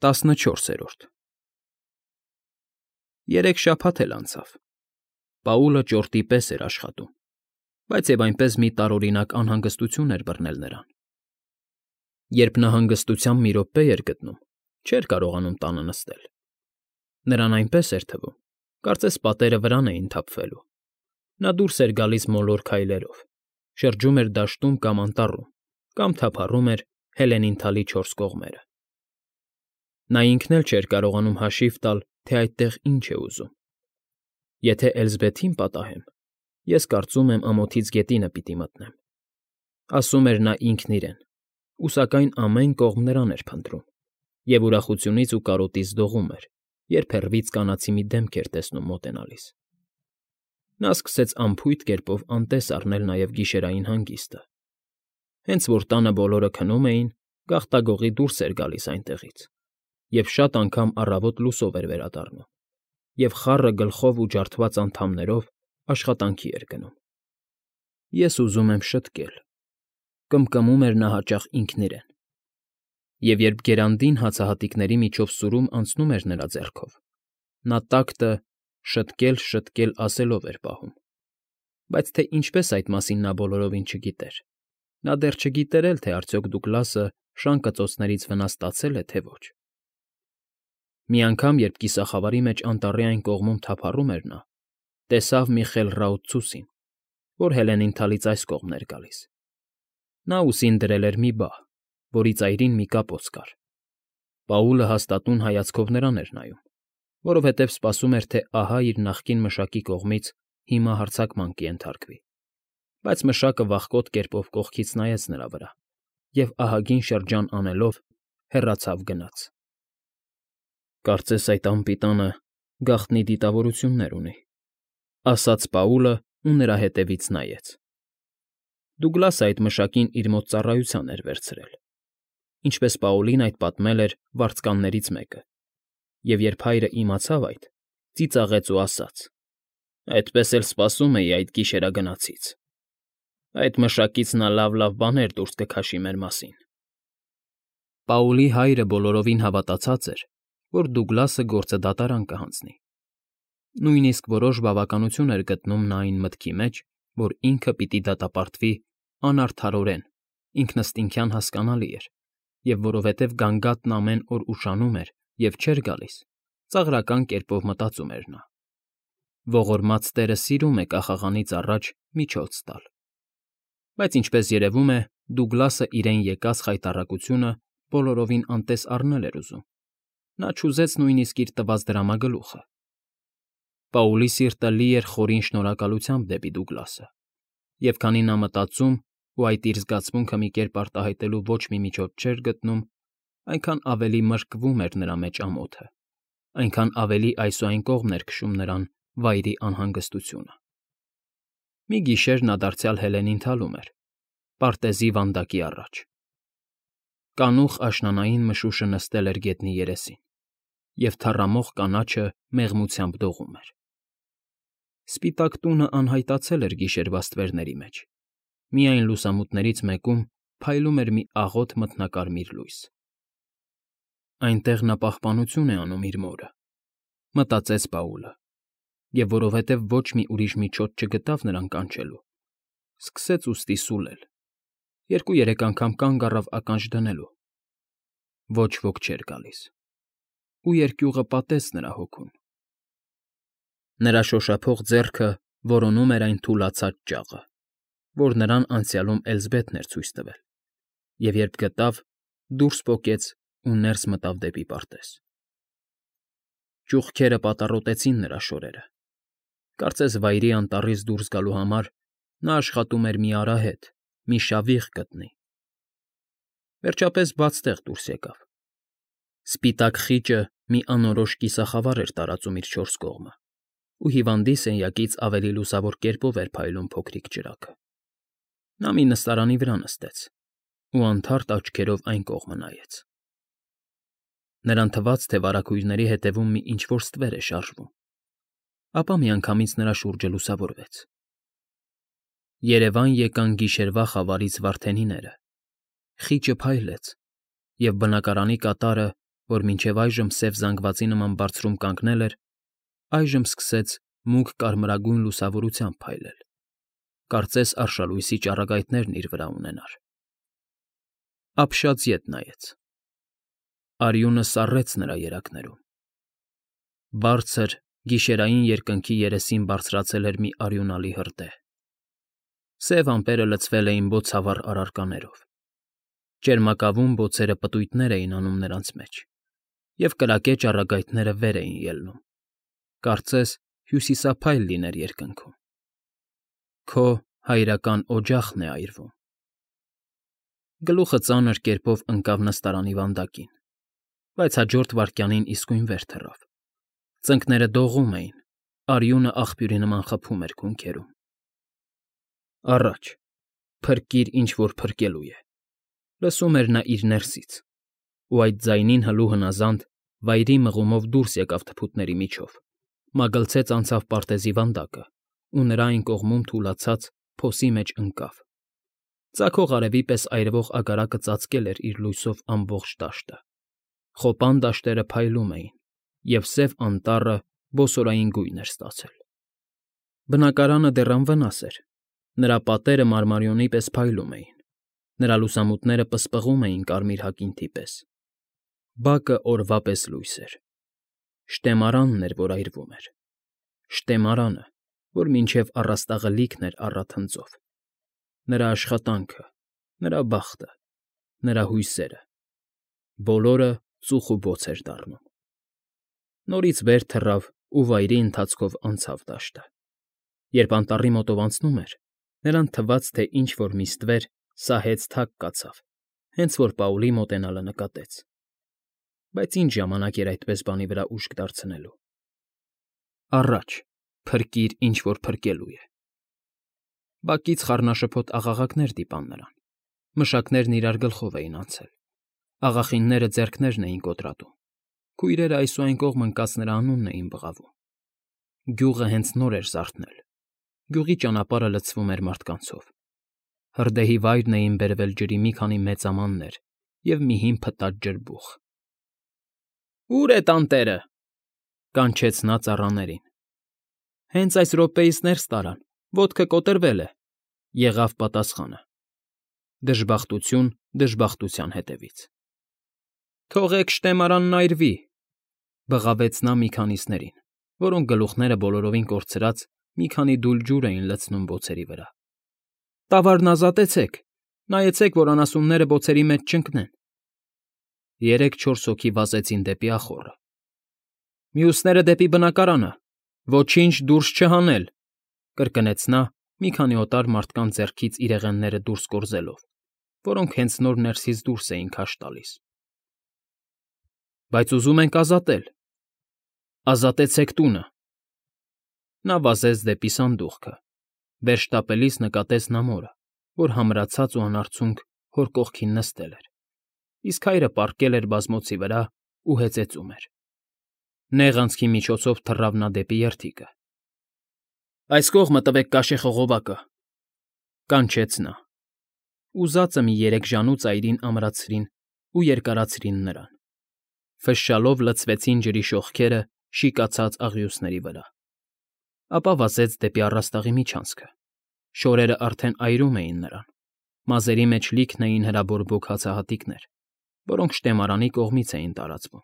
14 Երեք շաբաթ էլ անցավ։ Պաուլը ճորտի պես էր աշխատում, բայց և այնպես մի տարօրինակ անհանգստություն էր բռնել նրան։ Երբ նա հանգստությամբ մի րոպե էր գտնում, չէր կարողանում տանը նստել։ Նրան այնպես էր թվում, կարծես պատերը վրան էին թափվելու։ Նա դուրս էր գալիս մոլոր քայլերով, շրջում էր դաշտում կամ անտառում, կամ թափառում էր Հելենին թալի չորս կողմերը։ Նա ինքն էլ չէր կարողանում հաշիվ տալ, թե այդտեղ ինչ է ուզում։ Եթե Էլզբեթին պատահեմ, ես կարծում եմ ամոթից գետինը պիտի մտնեմ, ասում էր նա ինքն իրեն, ու սակայն ամեն կողմ նրան էր փնտրում, և ուրախությունից ու կարոտից դողում էր, երբ հեռվից կանացի մի դեմք էր տեսնում մոտենալիս։ Նա սկսեց անփույթ կերպով անտես առնել նաև գիշերային հանգիստը։ Հենց որ տանը բոլորը քնում էին, գաղտագողի դուրս էր գալիս այնտեղից, և շատ անգամ առավոտ լուսով էր վերադառնում, և խառը գլխով ու ջարդված անդամներով աշխատանքի էր գնում։ Ես ուզում եմ շտկել, կմկմում էր նա հաճախ ինքն իրեն, և երբ գերանդին հացահատիկների միջով սուրում անցնում էր նրա ձեռքով, նա տակտը շտկել ասելով էր պահում, բայց թե ինչպես այդ մասին նա բոլորովին չգիտեր, նա դեռ չգիտեր էլ, թե արդյոք Դուգլասը շանկծոցներից վնասվածել է, թե ոչ։ Մի անգամ, երբ կիսախավարի մեջ անտառի այն կողմում թափառում էր նա, տեսավ մի խելռաուտ ցուսին, որ Հելենին թալից այս կողմն էր գալիս։ Նա ուսին դրել էր մի բահ, որի ծայրին մի կապոց կար։ Պաուլը հաստատուն հայացքով նրան էր նայում, որովհետև սպասում էր, թե ահա իր նախկին մշակի կողմից հիմա հարձակման կենթարկվի, բայց մշակը վախկոտ կերպով կողքից նայեց նրա վրա և ահագին շրջան անելով հեռացավ գնաց։ «Կարծես այդ անպիտանը գաղտնի դիտավորություններ ունի», ասաց Պաուլը ու նրա ետևից նայեց։ Դուգլասը այդ մշակին իր մոտ ծառայության էր վերցրել, ինչպես Պաուլին այդ պատմել էր վարձկաններից մեկը, և երբ հայրը իմացավ այդ, ծիծաղեց ու ասաց. «Այդպես էլ սպասում էի այդ գիշերագնացից։ Այդ մշակից նա լավ բաներ դուրս կքաշի մեր մասին»։ Պաուլի հայրը բոլորովին հավատացած էր, որ Դուգլասը գործը դատարան կհանձնի։ Նույնիսկ որոշ բավականություն էր գտնում նա այն մտքի մեջ, որ ինքը պիտի դատապարտվի անարդարորեն, ինքնըստինքյան հասկանալի էր, և որովհետև գանգատն ամեն օր ուշանում էր և չէր գալիս, ծաղրական կերպով մտածում էր նա. ողորմած տերը սիրում է կախաղանից առաջ միջոց տալ։ Բայց ինչպես երևում է, Դուգլասը իրեն եկած խայտառակությունը բոլորովին անտես առնել էր ուզում։ Նա չուզեց նույնիսկ իր տված դրամագլուխը։ Պաուլի սիրտը լի էր խորին շնորհակալությամբ դեպի Դուգլասը, և քանի նա մտածում ու այդ իր զգացմունքը մի կերպ արտահայտելու ոչ մի միջոց չէր գտնում, այնքան ավելի մրկվում էր նրա մեջ ամոթը, այնքան ավելի այս ու այն կողմն էր քշում նրան վայրի անհանգստությունը։ Մի գիշեր նա դարձյալ Հելենին թալում էր, պարտեզի վանդակի առաջ։ Կանուխ աշնանային մշուշը նստել էր գետնի երեսին, և թառամող կանաչը մեղմությամբ դողում էր։ Սպիտակ տունը անհայտացել էր գիշերվա ստվերների մեջ, միայն լուսամուտներից մեկում փայլում էր մի աղոտ մթնակարմիր լույս։ Այնտեղ նա պահպանություն է անում իր մորը, մտածեց Պաուլը, և որովհետև ոչ մի ուրիշ միջոց չգտավ նրան կանչելու, սկսեց ուստի սուլել, 2-3 անգամ կանգ առավ ականջ դնելու։ Ոչ ոք չէր գալիս, ու երկյուղը պատեց նրա հոգուն։ Նրա շոշափող ձեռքը որոնում էր այն թուլացած ճաղը, որ նրան անցյալում Էլզբեթն էր ցույց տվել, և երբ գտավ, դուրս պոկեց ու ներս մտավ դեպի պարտեզ։ Ճուղքերը պատառոտեցին նրա շորերը։ Կարծես վայրի անտառից դուրս գալու համար նա աշխատում էր մի արահետ, մի շավիղ գտնի։ Վերջապես բաց տեղ դուրս եկավ։ Սպիտակ խիճը մի անորոշ կիսախավար էր տարածում իր չորս կողմը, ու հիվանդի սենյակից ավելի լուսավոր կերպով էր փայլում փոքրիկ ճրագը։ Նա մի նստարանի վրա նստեց ու անթարթ աչքերով այն կողմը նայեց։ Նրան թվաց, թե վարագույրների ետևում մի ինչ֊որ ստվեր է շարժվում, ապա միանգամից նրա շուրջը լուսավորվեց։ Երևան եկան գիշերվա խավարից վարդենիները, խիճը փայլեց, և բնակարանի կատարը որ մինչև այժմ սև զանգվածի նման բարձրում կանգնել էր, այժմ սկսեց մուգ կարմրագույն լուսավորությամբ փայլել, կարծես արշալույսի ճառագայթներն իր վրա ունենար։ Ապշած ետ նայեց։ Արյունը սառեց նրա երակներում։ Բարձր, գիշերային երկնքի երեսին բարձրացել էր մի արյունալի հրդեհ։ Սև ամպերը լցվել էին բոցավառ առարկաներով։ Ճերմակավուն բոցերը պտույտներ էին անում նրանց մեջ, և կրակե ճառագայթները վեր էին ելնում, կարծես հյուսիսափայլ լիներ երկնքում։ Քո հայրական օջախն է այրվում։ Գլուխը ծանր կերպով ընկավ նստարանի վանդակին, բայց հաջորդ վայրկյանին իսկույն վեր թռավ։ Ծնկները դողում էին, արյունը աղբյուրի նման խփում էր քունքերում։ Առաջ, փրկիր, ինչ որ փրկելու է, լսում էր նա իր ներսից, ու այդ ձայնին հլու հնազանդ վայրի մղումով դուրս եկավ թփուտների միջով, մագլցեց անցավ պարտեզի վանդակը ու նրա այն կողմում թուլացած փոսի մեջ ընկավ։ Ծագող արևի պես այրվող ագարակը ծածկել էր իր լույսով ամբողջ դաշտը։ Խոպան դաշտերը փայլում էին, և Սև Անտառը բոսորային գույն էր ստացել։ Բնակարանը դեռ անվնաս էր, նրա պատերը մարմարիոնի պես փայլում էին, նրա լուսամուտները պսպղում էին կարմիր հակինթի պես։ Բակը օրվա պես լույս էր։ Շտեմարանն էր, որ այրվում էր։ Շտեմարանը, որ մինչև առաստաղը լիքն էր առաթնձով։ Նրա աշխատանքը, նրա բախտը, նրա հույսերը։ Բոլորը ծուխ ու բոց էր դառնում։ Նորից վեր թռավ ու վայրի ընթացքով անցավ դաշտը։ Երբ անտառի մոտով անցնում էր, նրան թվաց, թե ինչ֊որ մի ստվեր սահեց թակ կացավ, հենց որ Պաուլի մոտենալը նկատեց։ Բայց ինչ ժամանակ էր այդպես բանի վրա ուշք դարձնելու։ Առաջ, փրկիր, ինչ որ փրկելու է։ Բակից խառնաշփոթ աղաղակներ դիպան նրան։ Մշակներն իրար գլխով էին անցել։ Աղախինները ձեռքներն էին կոտրատում։ Քույրերը այս ու այն կողմ ընկած նրա անունն էին բղավում։ Գյուղը հենց նոր էր զարթնել։ Գյուղի ճանապարհը լցվում էր մարդկանցով։ Հրդեհի վայրն էին բերվել ջրի մի քանի մեծամաններ և մի հին փտած ջրբուխ։ «Ո՞ւր է տանտերը», կանչեց նա ծառաներին։ «Հենց այս րոպեից ներս տարան, ոտքը կոտրվել է», եղավ պատասխանը։ Դժբախտություն դժբախտության հետևից։ «Թողեք շտեմարանն այրվի», բղավեց նա մի քանիսներին, որոնք գլուխները բոլորովին կորցրած մի քանի դույլ ջուր էին լցնում բոցերի վրա։ «Տավարն ազատեցեք, նայեցեք, որ անասունները բոցերի մեջ չընկնեն»։ 3-4 հոգի վազեցին դեպի ախոռը։ «Մյուսները դեպի բնակարանը, ոչինչ դուրս չհանել», կրկնեց նա, մի քանի օտար մարդկանց ձեռքից իրեղենները դուրս կորզելով, որոնք հենց նոր ներսից դուրս էին քաշ տալիս։ «Բայց ուզում ենք ազատել»։ «Ազատեցեք տունը»։ Նա վազեց դեպի սանդուղքը։ Վեր շտապելիս նկատեց նա մորը, որ համրացած ու անարցունք հոր կողքին նստել էր, իսկ հայրը պառկել էր բազմոցի վրա ու հեծեծում էր։ Նեղ անցքի միջոցով թռավ նա դեպի երդիկը։ «Այս կողմը տվեք կաշեխողովակը», կանչեց նա։ Ուզածը մի 3 ժանու ծայրին ամրացրին ու երկարացրին նրան։ Ֆշշալով լցվեցին ջրի շողքերը շիկացած աղյուսների վրա։ Ապա վազեց դեպի առաստաղի միջանցքը։ Շորերն արդեն այրում էին նրան։ Մազերի մեջ լիքն էին հրաբորբոք հացահատիկներ, որոնք շտեմարանի կողմից էին տարածվում։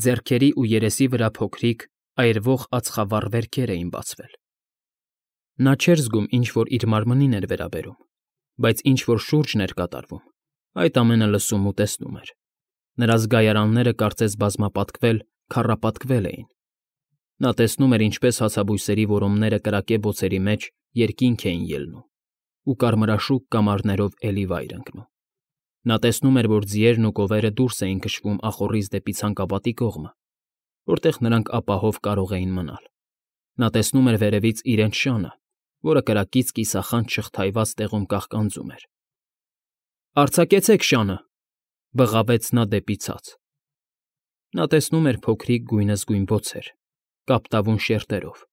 Ձեռքերի ու երեսի վրա փոքրիկ, այրվող ածխավառ վերքեր էին բացվել։ Նա չէր զգում ինչ֊որ իր մարմնին էր վերաբերում, բայց ինչ֊որ շուրջն էր կատարվում, այդ ամենը լսում ու տեսնում էր։ Նրա զգայարանները կարծես բազմապատկվել, քառապատկվել էին։ Նա տեսնում էր, ինչպես հացաբույսերի որոմները կրակե բոցերի մեջ երկինք էին ելնում ու կարմրաշուկ կամարներով էլի վայր ընկնում։ Նա տեսնում էր, որ ձիերն ու կովերը դուրս էին քշվում ախոռից դեպի ցանկապատի կողմը, որտեղ նրանք ապահով կարող էին մնալ։ Նա տեսնում էր վերևից իրենց շանը, որը կրակից կիսախանդ շղթայված տեղում կաղկանձում էր։ «Արձակեցեք շանը», բղավեց նա դեպի ցած։ Նա տեսնում էր փոքրիկ գույնզգույն բոցեր, կապտավուն շերտերով,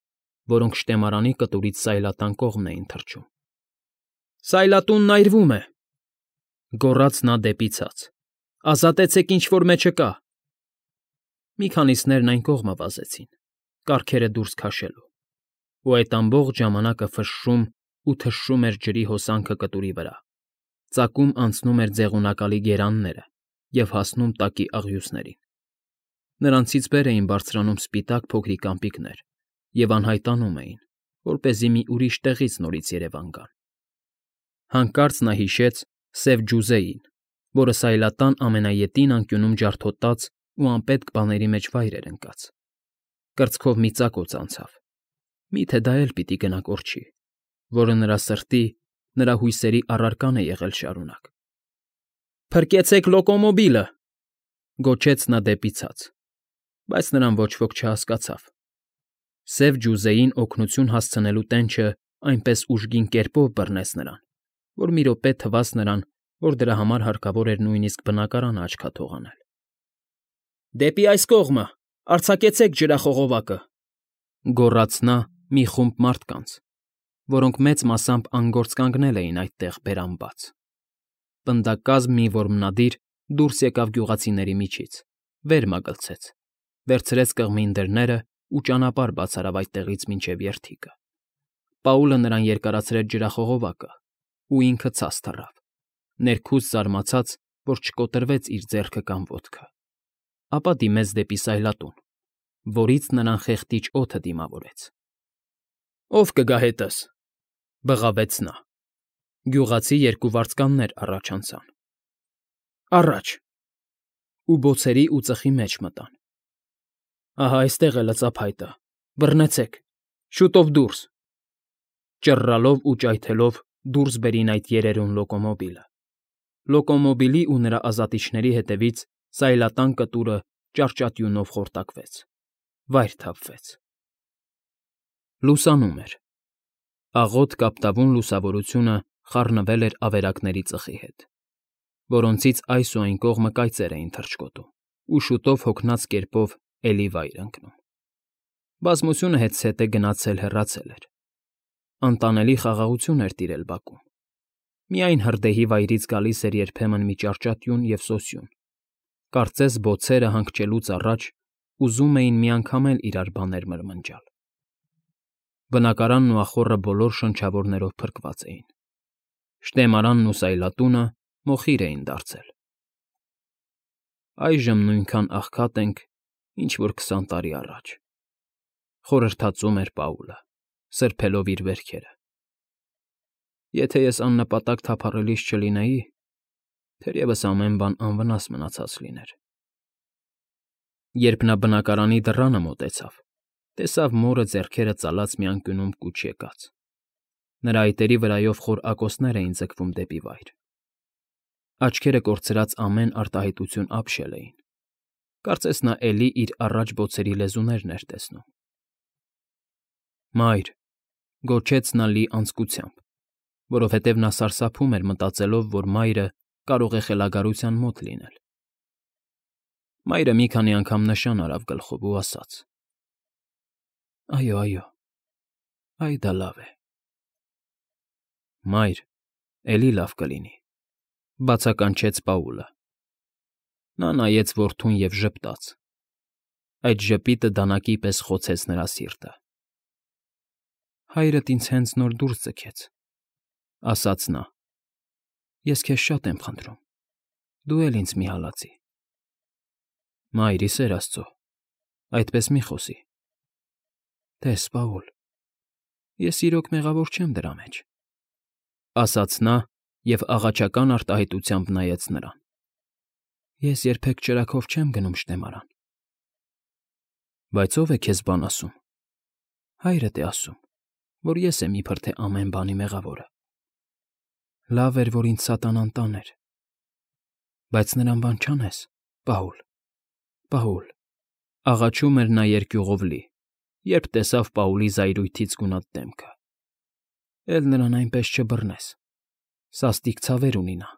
որոնք շտեմարանի կտուրից սայլատան կողմն էին թռչում։ «Սայլատունն այրվում է», գոռաց նա դեպի ցած։ «Ազատեցեք, ինչ որ մեջը կա, Մի քանիսներն այն կողմը վազեցին, կառքերը դուրս քաշելու, ու այդ ամբողջ ժամանակը ֆշշում ու թշշում էր ջրի հոսանքը կտուրի վրա, ծակում անցնում էր ձեղունակալի գերանները և հասնում տակի աղյուսներին. նրանցից վեր էին բարձրանում սպիտակ փոքրիկ ամպիկներ և անհայտանում էին, որպեսզի մի ուրիշ տեղից նորից երևան գան։ Հանկարծ նա հիշեց սև ջուզեին, որը սայլատան ամենաետին անկյունում ջարդոտած ու անպետք բաների մեջ վայր էր ընկած։ Կրծքով մի ծակոց անցավ. միթե դա էլ պիտի գնա կորչի, որը նրա սրտի, նրա հույսերի առարկան է եղել շարունակ։ «Փրկեցեք լոկոմոբիլը», գոչեց նա դեպի ցած, բայց նրան ոչ ոք չհասկացավ։ Սև ջուզեին օգնություն հասցնելու տենչը այնպես ուժգին կերպով բռնեց նրան, որ մի րոպե թվաց նրան, որ դրա համար հարկավոր էր նույնիսկ բնակարանը աչքաթող անել։ «Դեպի այս կողմը, արձակեցեք ջրախողովակը», գոռաց նա մի խումբ մարդկանց, որոնք մեծ մասամբ անգործ կանգնել էին այդտեղ բերան բաց։ Պնդակազմ մի որմնադիր դուրս եկավ գյուղացիների միջից, վեր մագլցեց, վերցրեց կղմին դռները ու ճանապարհ բաց արավ այդտեղից մինչև երթիկը։ Պաուլը նրան երկարացրեց ջրախողովակը, ու ինքը ցած թռավ, ներքուստ զարմացած, որ չկոտրվեց իր ձեռքը կամ ոտքը, ապա դիմեց դեպի սայլատուն, որից նրան խեղդիչ օդը դիմավորեց։ «Ո՞վ կգա հետս», բղավեց նա։ Գյուղացի երկու վարձկաններ առաջ անցան։ «Առաջ», ու բոցերի ու ծխի մեջ մտան։ «Ահա այստեղ է լծափայտը, բռնեցեք, շուտով դուրս», ճռռալով ու ճայթելով դուրս բերին այդ երերուն լոկոմոբիլը։ Լոկոմոբիլի ու նրա ազատիչների հետևից սայլատան կտուրը ճարճատյունով խորտակվեց, վայր թափվեց։ Լուսանում էր։ Աղոտ կապտավուն լուսավորությունը խառնվել էր ավերակների ծխի հետ, որոնցից այս ու այն կողմը կայծեր էին թռչկոտում, ու շուտով հոգնած կերպով էլի վայր ընկնում։ Բազմությունը հետզհետե գնացել հեռացել էր։ Անտանելի խաղաղություն էր տիրել բակում։ Միայն հրդեհի վայրից գալիս էր երբեմն մի ճարճատյուն և սոսյուն, կարծես բոցերը հանգչելուց առաջ ուզում էին միանգամ էլ իրար բաներ մրմնջալ։ Բնակարանն ու ախոռը բոլոր շնչավորներով փրկված էին։ Շտեմարանն ու սայլատունը մոխիր էին դարձել։ «Այժմ նույնքան աղքատ ենք, ինչ որ 20 տարի առաջ», խորհրդածում էր Պաուլը, սրբելով իր վերքերը։ «Եթե ես աննպատակ թափառելիս չլինեի, թերևս ամեն բան անվնաս մնացած լիներ»։ Երբ նա բնակարանի դռանը մոտեցավ, տեսավ մորը ձեռքերը ծալած մի անկյունում կուչ եկած։ Նրա այտերի վրայով խոր ակոսներ էին ձգվում դեպի վայր։ Աչքերը կորցրած ամեն արտահայտություն ապշել էին։ Կարծես նա էլի իր առաջ բոցերի լեզուներն էր տեսնում։ «Մայր», գոչեց նա լի անձկությամբ, որովհետև նա սարսափում էր մտածելով, որ մայրը կարող է խելագարության մոտ լինել։ Մայրը մի քանի անգամ նշան արավ գլխով ու ասաց. «Այո, այո, այ դա լավ է»։ «Մայր, էլի լավ կլինի», բացականչեց Պաուլը։ Նա նայեց որդուն և ժպտաց։ Այդ ժպիտը դանակի պես խոցեց նրա սիրտը։ «Հայրդ ինձ հենց նոր դուրս ձգեց», ասաց նա։ «Ես քեզ շատ եմ խնդրում, դու էլ ինձ մի հալածի»։ «Մայր, ի սեր աստծո, այդպես մի խոսի»։ «Տես, Պաուլ, ես իրոք մեղավոր չեմ դրա մեջ», ասաց նա և աղաչական արտահայտությամբ նայեց նրան։ «Ես երբեք ճրագով չեմ գնում շտեմարան»։ «Բայց ո՞վ է քեզ բան ասում»։ «Հայրդ է ասում, որ ես եմ իբրև թե ամեն բանի մեղավորը»։ «Լավ էր, որ ինձ սատանան տաներ»։ «Բայց նրան բան չանես, Պաուլ, Պաուլ», աղաչում էր նա երկյուղով լի, երբ տեսավ Պաուլի զայրույթից գունատ դեմքը։ «Էլ նրան այնպես չբռնես, սաստիկ ցավեր ունի նա»։